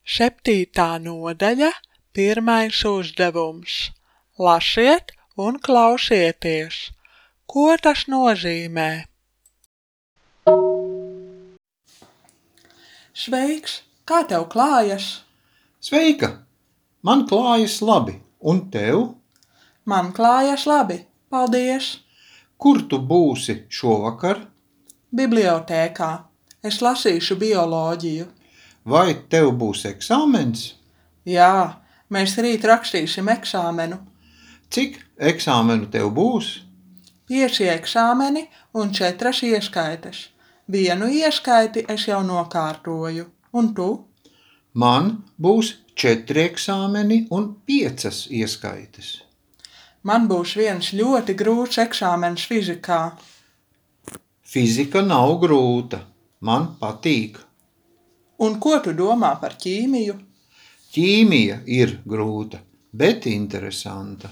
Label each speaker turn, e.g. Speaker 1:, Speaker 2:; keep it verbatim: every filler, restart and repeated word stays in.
Speaker 1: Septītā nodaļa, pirmais uzdevums. Lasiet un klausieties. Ko tas nozīmē? Sveiks, kā tev klājas?
Speaker 2: Sveika! Man klājas labi, un tev?
Speaker 1: Man klājas labi, paldies.
Speaker 2: Kur tu būsi šovakar?
Speaker 1: Bibliotēkā. Es lasīšu bioloģiju.
Speaker 2: Vai tev būs eksāmens?
Speaker 1: Jā, mēs rīt rakstīsim eksāmenu.
Speaker 2: Cik eksāmenu tev būs?
Speaker 1: Pieci eksāmeni un četras ieskaites. Vienu ieskaiti es jau nokārtoju. Un tu?
Speaker 2: Man būs četri eksāmeni un piecas ieskaites.
Speaker 1: Man būs viens ļoti grūts eksāmens fizikā.
Speaker 2: Fizika nav grūta. Man patīk.
Speaker 1: Un ko tu domā par ķīmiju?
Speaker 2: Ķīmija ir grūta, bet interesanta.